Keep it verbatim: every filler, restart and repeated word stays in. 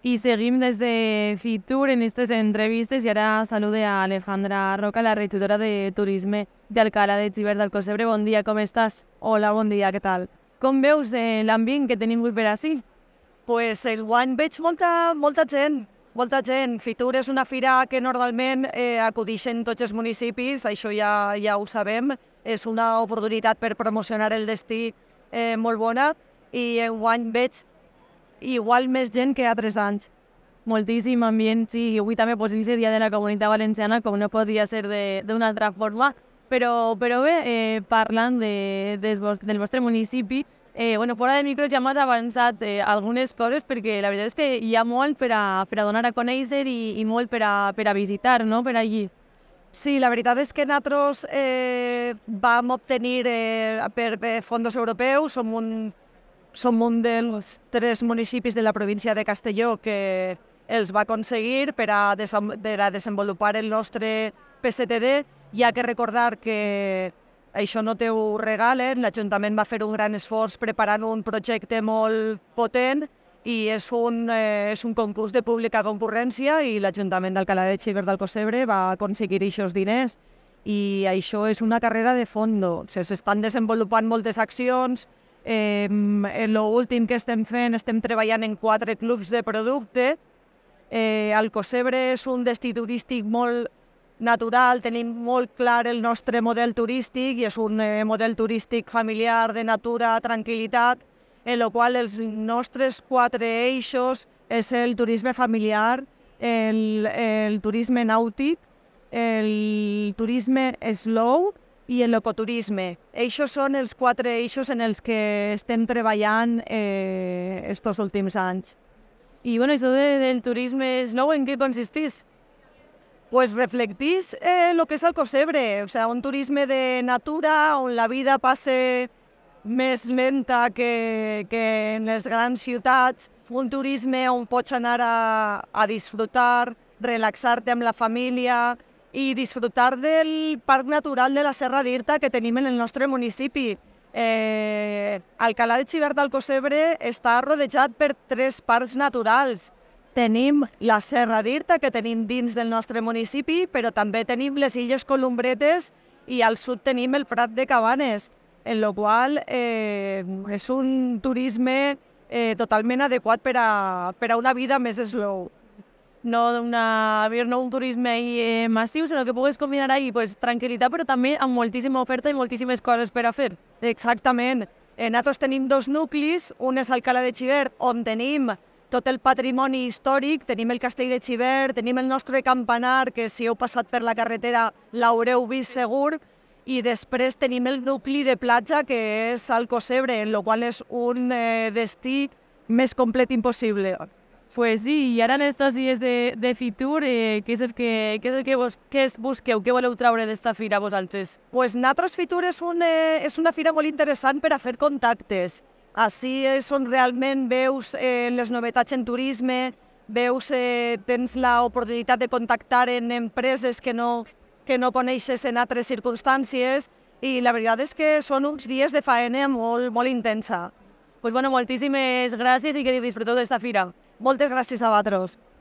Y seguim des de Fitur en estas entrevistes i ara salude a Alejandra Roca, la regidora de Turisme d'Alcalá de Xivert d'Alcossebre. Bon dia, com estàs? Hola, bon dia, què tal? Com veus eh, l'ambient que tenim avui per ací? Pues enguany veig molta, molta gent, molta gent. Fitur és una fira que normalment eh, acudixen tots els municipis, això ja, ja ho sabem. És una oportunitat per promocionar el destí eh, molt bona i enguany veig igual més gent que altres anys. Moltíssim ambient, sí, i avui també pues, és el dia de la Comunitat Valenciana, com no podia ser d'una altra forma, però, però bé, eh, parlant de, des vos, del vostre municipi, eh, bueno, fora de micro ja m'has avançat eh, algunes coses, perquè la veritat és que hi ha molt per a, per a donar a conèixer i, i molt per a, per a visitar, no?, per allí. Sí, la veritat és que nosaltres eh, vam obtenir eh, per, per fons europeus, som un, som un dels tres municipis de la província de Castelló que els va aconseguir per a, desem, per a desenvolupar el nostre P C T D. Hi ha que recordar que això no te ho regalen, l'Ajuntament va fer un gran esforç preparant un projecte molt potent i és un, eh, és un concurs de pública concurrència i l'Ajuntament d'Alcalá de Xivert d'Alcossebre va aconseguir aquests diners i això és una carrera de fondo. S'estan desenvolupant moltes accions. Eh, en l'últim que estem fent, estem treballant en quatre clubs de producte. Eh, Alcossebre és un destí turístic molt natural, tenim molt clar el nostre model turístic i és un eh, model turístic familiar de natura, tranquil·litat, en el qual els nostres quatre eixos és el turisme familiar, el, el turisme nàutic, el turisme slow i l'ecoturisme. Eixos són els quatre eixos en els que estem treballant eh, estos últims anys. I bueno, això de, del turisme slow, en què consistís? Pues reflectís eh, lo que és Alcossebre, o sea, un turisme de natura on la vida passe més lenta que, que en les grans ciutats, un turisme on pots anar a, a disfrutar, relaxar-te amb la família i disfrutar del parc natural de la Serra d'Irta que tenim en el nostre municipi. Eh, Alcalá de Xivert d'Alcossebre està rodejat per tres parcs naturals. Tenim la Serra d'Irta, que tenim dins del nostre municipi, però també tenim les Illes Columbretes i al sud tenim el Prat de Cabanes, en el qual eh, és un turisme eh, totalment adequat per a, per a una vida més slow. No, una, no un turisme eh, massiu, sinó que pugues combinar ahí pues, tranquil·litat, però també amb moltíssima oferta i moltíssimes coses per a fer. Exactament. Eh, nosaltres tenim dos nuclis, un és Alcalá de Xivert, on tenim tot el patrimoni històric, tenim el castell de Xivert, tenim el nostre campanar, que si heu passat per la carretera l'haureu vist segur, i després tenim el nucli de platja, que és Alcossebre, en el qual és un eh, destí més complet impossible. Pues sí, i ara en aquests dies de, de Fitur, eh, què és el que, què és el que vos, què es busqueu, què voleu traure d'esta fira vosaltres? Pues nosaltres Fitur és, un, eh, és una fira molt interessant per a fer contactes. Així és on realment veus eh, les novetats en turisme, veus, eh, tens l'oportunitat de contactar en empreses que no, que no coneixes en altres circumstàncies i la veritat és que són uns dies de faena molt, molt intensa. Pues bueno, moltíssimes gràcies i que disfruteu d'esta fira. Moltes gràcies a vosaltres.